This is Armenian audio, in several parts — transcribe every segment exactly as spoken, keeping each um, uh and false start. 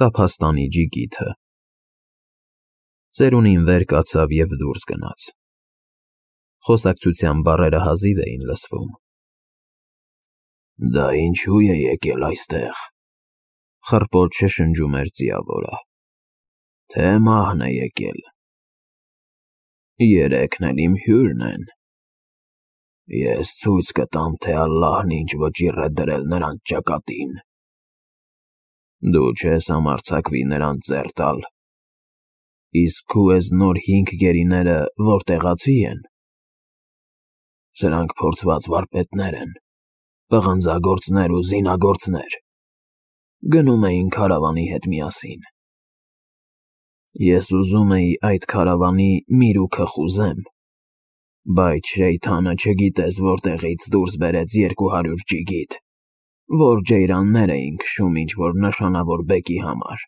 Տափաստանի ջիգիթը։ Ծերունին վեր կացավ և դուրս գնաց։ Խոսակցության բառերը հազիվ էին լսվում։ Դա ինչու է եկել այստեղ, խռպոտ շշնջում էր ձիավորը, թե մահն է եկել։ Երեքն էլ իմ հյուրն են։ Ես ցույց կտամ, թե Ալլահն ինչ վճիռ է դրել նրանց ճակատին։ Դու չես համարձակվի նրանց ձեռ տալ։ Իսկ քո էս նոր հինգ գերիները որտեղացի են։ Սրանք փորձված վարպետներ են, պղնձագործներ ու զինագործներ։ Գնում էին քարավանի հետ միասին։ Ես ուզում էի այդ քարավանի միրուքը խուզեմ, բայց Շեյթանը չգիտես որտեղից դուրս բերեց երկու հարյուր ջիգիթ, որ ջեյրաններ էին քշում ինչ-որ նշանավոր բեկի համար։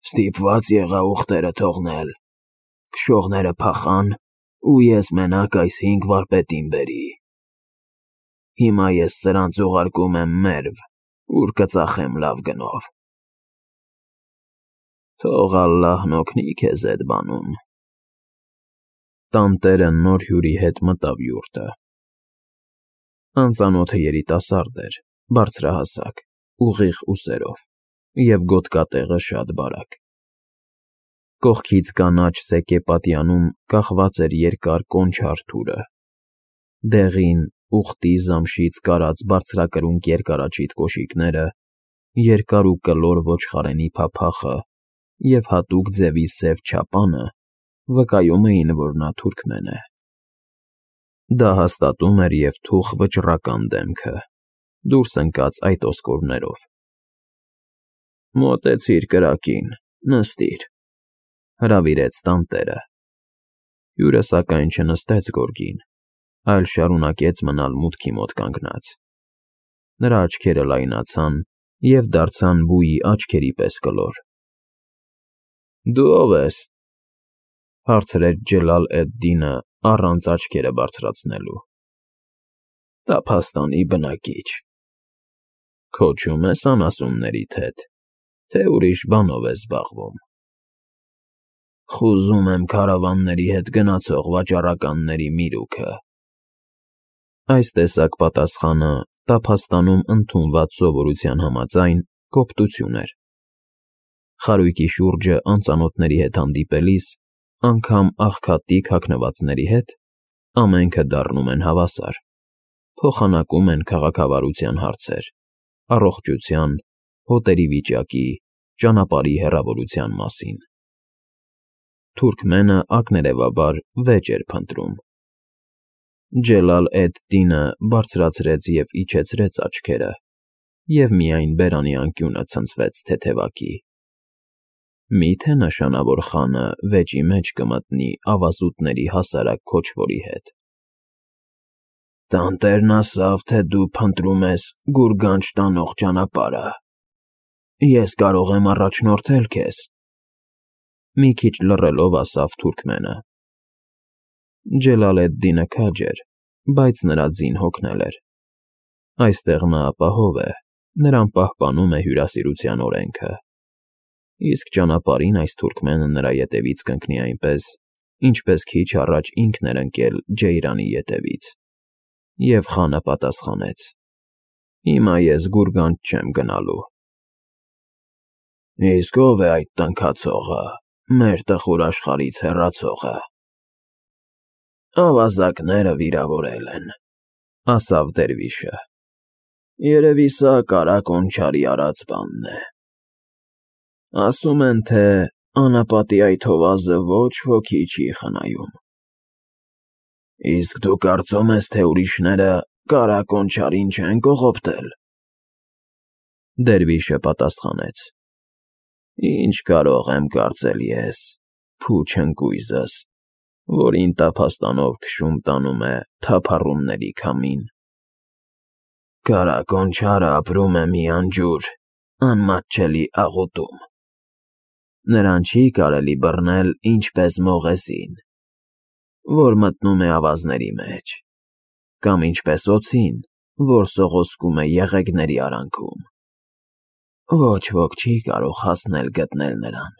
Ստիպված եղա ուղտերը թողնել, քշողները փախան, ու ես մենակ այս հինգ վարպետին բերի։ Հիմա ես սրանց ուղարկում եմ մերվ, ուր կծախեմ լավ գնով։ Թող Ալլահն օգնի քեզ էդ բանում։ Տանտերը նոր հյուրի հետ մտավ յուրտը։ Անծանոթը երիտասարդ էր, բարձրահասակ, ուղիղ ուսերով և գոտկատեղը շատ բարակ։ Կողքից կանաչ սեկե պատյանում կախված էր երկար կոնչար թուրը։ Դեղին, ուղտի զամշից կարած բարձրակրունկ երկարաճիտ կոշիկները, երկար ու կլոր ոչխարենի փափախը և հատուկ ձևի սև չապանը վկայում էին, որ նա թուրքմեն է։ Դա հաստատում էր և թուխ վճռական դեմքը, դուրս ընկած այդ ոսկորներով։ Մոտեցիր կրակին, նստիր, հրավիրեց տանտերը։ Հյուրը սակայն չնստեց գորգին, այլ շարունակեց մնալ մուտքի մոտ կանգնած։ Նրա աչքերը լայնացան և դարձան բույի աչքերի պես կլոր։ Դու ո՞վ ես,֊ հարցրեց Ջելալ֊էդ֊Դինը առանց աչքերը բարձրացնելու։ Տափաստանի բնակիչ։ Քոչում ես անասուններիդ հետ, թե ուրիշ բանով ես զբաղվում։ Խուզում եմ քարավանների հետ գնացող վաճառականների միրուքը։ Այս տեսակ պատասխանը Տափաստանում ընդունված սովորության համաձայն կոպտություն էր։ Խարույկի շուրջը անծանոթների հետ հանդիպելիս, անգամ աղքատիկ հագնվածների հետ, ամենքը դառնում են հավասար, փոխանակում են քաղաքավարության հարցեր, առողջության, հոտերի վիճակի, ճանապարհի հեռավորության մասին։ Թուրքմենը ակներևաբար վեճ էր փնտրում։ Ջելալ֊էդ֊Դինը բարձրացրեց և իջեցրեց աչքերը, և միայն բերանի անկյունը ցնցվեց թեթևակի։ Մի՞թե նշանավոր խանը վեճի մեջ կմտնի ավազուտների հասարակ քոչվորի հետ։ Տանտերն ասավ, թե դու փնտրում ես գուրգանջ տանող ճանապարհը։ Ես կարող եմ առաջնորդել քեզ,֊ մի քիչ լռելով ասավ թուրքմենը։ Ջելալ֊էդ֊Դինը քաջ էր, բայց նրա ձին հոգնել էր։ Այստեղ նա ապահով է, նրան պահպանում է հյուրասիրության օրենքը։ Իսկ ճանապարհին այս թուրքմենը նրա ետևից կընկնի այնպես, ինչպես քիչ առաջ ինքն էր ընկել ջեյրանի ետևից։ Եվ խանը պատասխանեց. Հիմա ես գուրգանջ չեմ գնալու։ Իսկ ո՞վ է այդ տնքացողը, մեր տխուր աշխարհից հեռացողը։ Ավազակները վիրավորել են,֊ ասավ դերվիշը։ Երևի սա Կարա Կոնչարի արած բանն է։ Ասում են, թե անապատի այդ հովազը ոչ ոքի չի խնայում։ Իսկ դու կարծում ես, թե ուրիշները Կարա Կոնչարին չեն կողոպտել։ Դերվիշը պատասխանեց. Ինչ կարող եմ կարծել ես, փուչ ընկույզս, որին Տափաստանով քշում տանում է թափառումների քամին։ Կարա Կոնչարը ապրում է մի անջուր, անմատչելի աղուտում։ Նրան չի կարելի բռնել ինչպես մողեսին, որ մտնում է ավազների մեջ, կամ ինչպես օձին, որ սողոսկում է եղեգների արանքում։ ոչ ոք չի կարող հասնել գտնել նրան,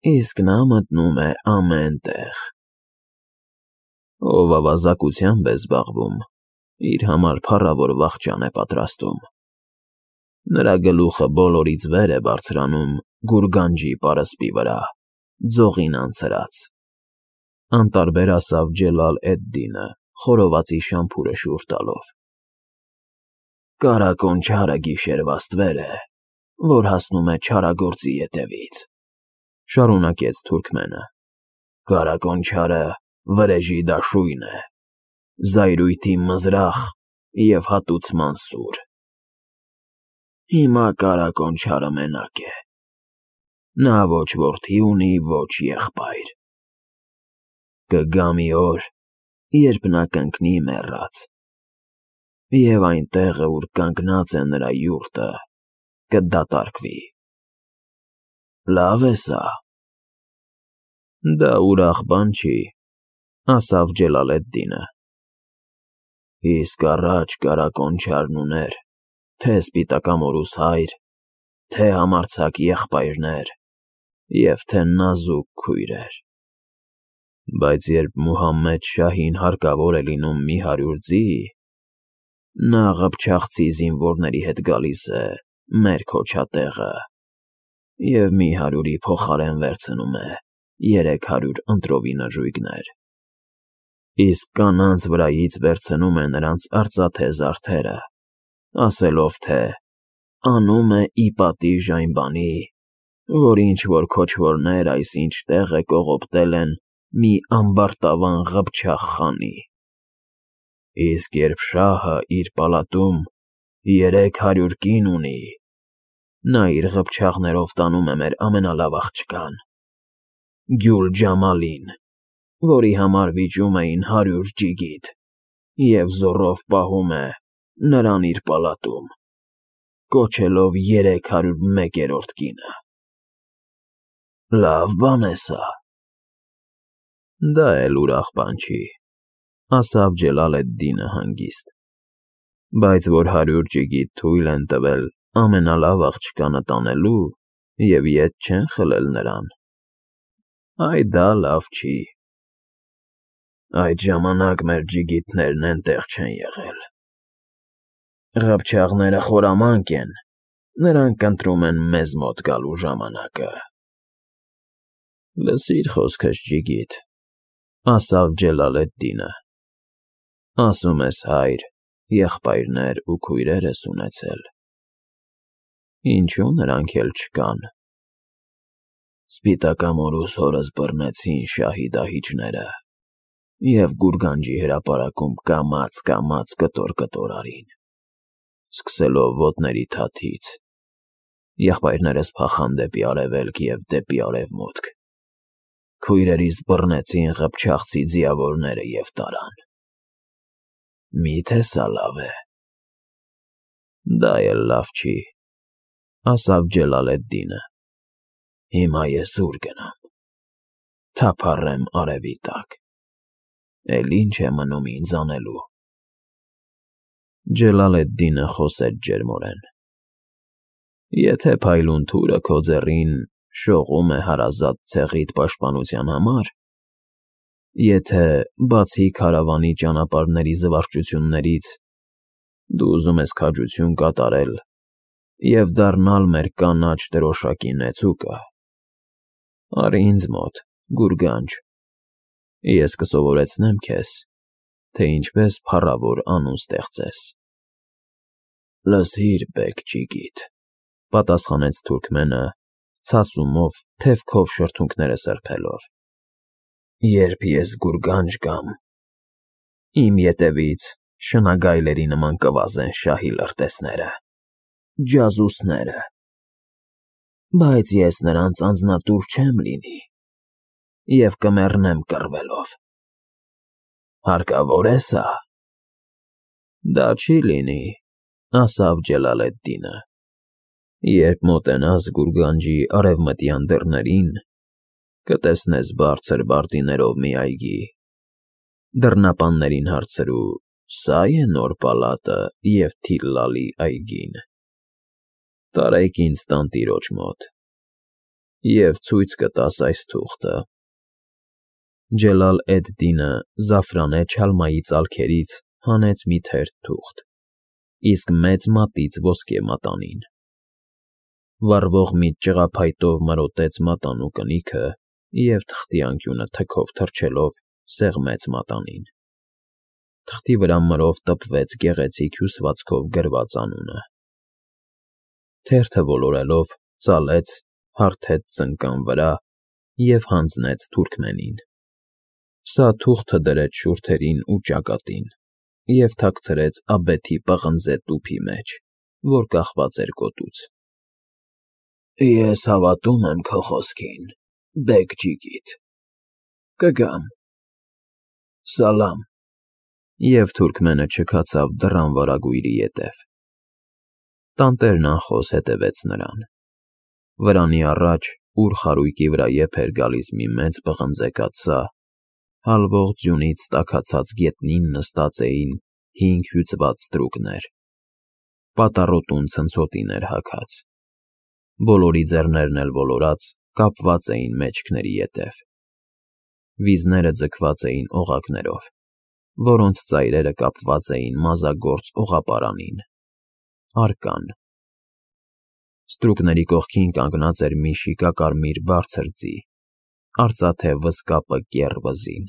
իսկ նա մտնում է ամեն տեղ։ Ով ավազակությամբ է զբաղվում, իր համար փառավոր վախճան է պատրաստում։ Նրա գլուխը բոլորից վեր է բարձրանում գուրգանջի պարսպի վրա, ձողին անցրած։ Անտարբեր ասավ Ջելալ էդ֊Դինը, խորովածի շամփուրը շուռ տալով։ Կարակոն չարը գիշերվա ստվեր է, որ հասնում է չարագործի ետևից, շարունակեց թուրքմենը։ Կարակոն չարը վրեժի դաշույն է, զայրույթի մզրախ և հատուցման սուր։ Հիմա կարակոն չարը մենակ է։ Նա ոչ որդի ունի, ոչ եղբայր։ Կգա մի օր, երբ նա կընկնի մեռած, և այն տեղը, ուր կանգնած է նրա յուրտը, կդատարկվի։ Լավ է սա։ Դա ուրախ բան չի, ասավ Ջելալ էդ֊Դինը։ Իսկ առաջ կարակոն չարն ուներ թե սպիտակամորուս հայր, թե համարձակ եղբայրներ և թե նազուկ քույրեր։ Բայց երբ Մուհամմեդ շահին հարկավոր է լինում մի հարյուր ձի, նա ղփչաղցի զինվորների հետ գալիս է մեր քոչատեղը և մի հարյուրի փոխարեն վերցնում է երեք հարյուր ընտրովի նժույգներ, իսկ կանանց վրայից վերցնում է նրանց արծաթե զարդերը, ասելով, թե անում է ի պատիժ այն բանի, որ ինչ-որ քոչվորներ այսինչ տեղ է կողոպտել են մի ամբարտավան ղփչաղ խանի։ Իսկ երբ շահը իր պալատում երեք հարյուր կին ունի, նա իր ղփչաղներով տանում է մեր ամենալավ աղջկան՝ Գյուլ֊Ջամալին, որի համար վիճում էին հարյուր ջիգիթ, և զոռով պահում է նրան իր պալատում, կոչելով երեք հարյուր մեկերորդ կինը։ Լավ բան է սա։ Դա էլ ուրախ բան չի, ասավ Ջելալ էդ֊Դինը հանգիստ, բայց որ հարյուր ջիգիթ թույլ են տվել ամենալավ աղջկանը տանելու և ետ չեն խլել նրան, այ դա լավ չի։ Այդ ժամանակ մեր ջիգիթներն էնտեղ չեն եղել։ Ղփչաղները խորամանկ են, նրանք ընտրում են մեզ մոտ գալու ժամանակը։ Լսիր խոսքս, ջիգիթ, ասավ Ջելալ էդ֊Դինը, ասում ես հայր, եղբայրներ ու քույրեր ես ունեցել, ինչո՞ւ նրանք էլ չկան։ Սպիտակամորուս հորս բռնեցին շահի դահիճները և գուրգանջի հրապարակում կամաց֊կամաց կտոր-կտոր արին, սկսելով ոտների թաթից, եղբայրներս փախան դեպի արևելք և դեպի արևմուտք, քույրերիս բռնեցին ղփչաղցի ձիավորները և տարան։ Մի՞թե սա լավ է։ Դա էլ լավ չի, ասավ Ջելալ էդ֊Դինը։ Հիմա ես ուր գնամ։ Թափառեմ արևի տակ, էլ ի՞նչ է մնում ինձ անելու։ Ջելալ էդ֊Դինը խոսեց ջերմորեն. Եթե փայլուն թուրը քո ձեռին շողում է հարազատ ցեղիդ պաշտպանության համար, եթե, բացի քարավանի ճանապարհների զվարճություններից, դու ուզում ես քաջություն կատարել և դառնալ մեր կանաչ դրոշակի նեցուկը, արի ինձ մոտ, գուրգանջ, ես կսովորեցնեմ քեզ, թե ինչպես փառավոր անուն ստեղծես։ Լսիր, բեգ ջիգիթ, պատասխանեց թուրքմենը, ցասումով թևքով շրթունքները սրբելով. Երբ ես գուրգանջ գամ, իմ ետևից շնագայլերի նման կվազեն շահի լրտեսները, ջազուսները, բայց ես նրանց անձնատուր չեմ լինի և կմեռնեմ կռվելով։ Հարկավո՞ր է սա։ Դա չի լինի, ասավ Ջելալ էդ֊Դինը։ Երբ մոտենաս գուրգանջի արևմտյան դռներին, կտեսնես բարձր բարտիներով մի այգի, դռնապաններին հարցրու. սա՞ է նոր պալատը և Թիլլալի այգին։ Տարեք ինձ տանտիրոջ մոտ և ցույց կտաս այս թուղթը։ Ջելալ֊էդ֊Դինը զաֆրանե չալմայի ծալքերից հանեց մի թերթ թուղթ, իսկ մեծ մատից ոսկե մատանին։ Վառվող մի ճղափայտով մրոտեց մատանու կնիքը և թղթի անկյունը թքով թռչելով սեղմեց մատանին։ Թղթի վրա մրով տպվեց գեղեցիկ հյուսվածքով գրված անունը։ Թերթը ոլորելով՝ ծալեց, հարթեց ծնկան վրա և հանձնեց թուրքմենին։ Սա թուղթը դրեց շուրթերին ու ճակատին և թաքցրեց աբեթի պղնձե տուփի մեջ, որ կախված էր գոտուց։ Ես հավատում եմ քո խոսքին, բեգ֊ջիգիտ, կգամ, սալամ, և թուրքմենը չքացավ դռան վարագույրի ետև։ Տանտերն անխոս հետևեց նրան։ Վրանի առաջ, ուր խարույկի վրա եփ էր գալիս մի մեծ պղնձե կաթսա, հալվող ձյունից տաքացած գետնին նստած էին հինգ հյուծված ստրուկներ։ Պատառոտուն ցնցոտին էր հագած։ Բոլորի ձեռներն էլ ոլորած, կապված էին մեջքների ետև։ Վիզները ձգված էին օղակներով, որոնց ծայրերը կապված էին մազագործ օղապարանին՝ արկան։ Ստրուկների կողքին կանգնած էր մի շիկակարմիր բարձր ձի, արծաթե վզկապը կեռ վզին,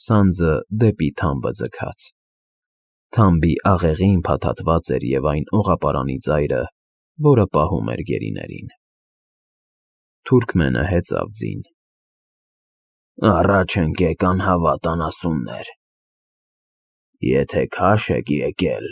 սանձը դեպի թամբը ձգած։ Թամբի աղեղին փաթաթված էր և այն օղապարանի ծայրը, որը պահում էր գերիներին։ Թուրքմենը հեծավ ձին։ Առաջ ընկեք, անհավատ անասուններ, եթե քաշ եք եկել,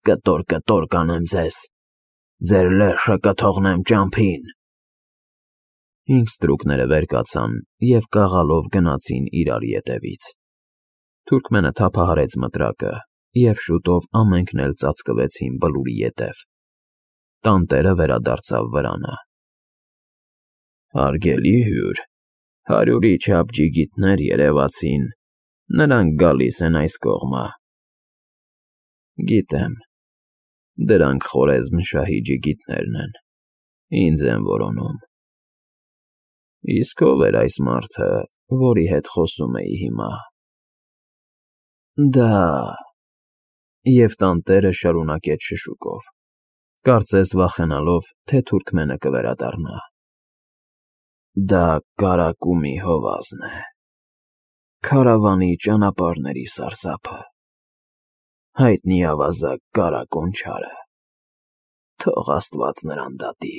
կտոր֊կտոր կանեմ ձեզ, ձեր լեշը կթողնեմ ճամփին։ Հինգ ստրուկները վեր կացան և կաղալով գնացին իրար ետևից։ Թուրքմենը թափահարեց մտրակը, և շուտով ամենքն էլ ծածկվեցին Բլուրի ետև։ Տանտերը վերադարձավ վրանը։ Հարգելի հյուր, հարյուրի չափ ջիգիտներ երևացին, նրանք գալիս են այս կողմը։ Գիտեմ, դրանք Խորեզմ֊շահի ջիգիտներն են, ինձ են որոնում։ Իսկ ո՞վ էր այս մարդը, որի հետ խոսում էի հիմա։ Դա… և տանտերը շարունակեց շշուկով, կարծես վախենալով, թե թուրքմենը կվերադառնա։ Դա կարակումի հովազն է, քարավանի ճանապարհների սարսափը, հայտնի ավազակ Կարակոն չարը, թող աստված նրան դատի։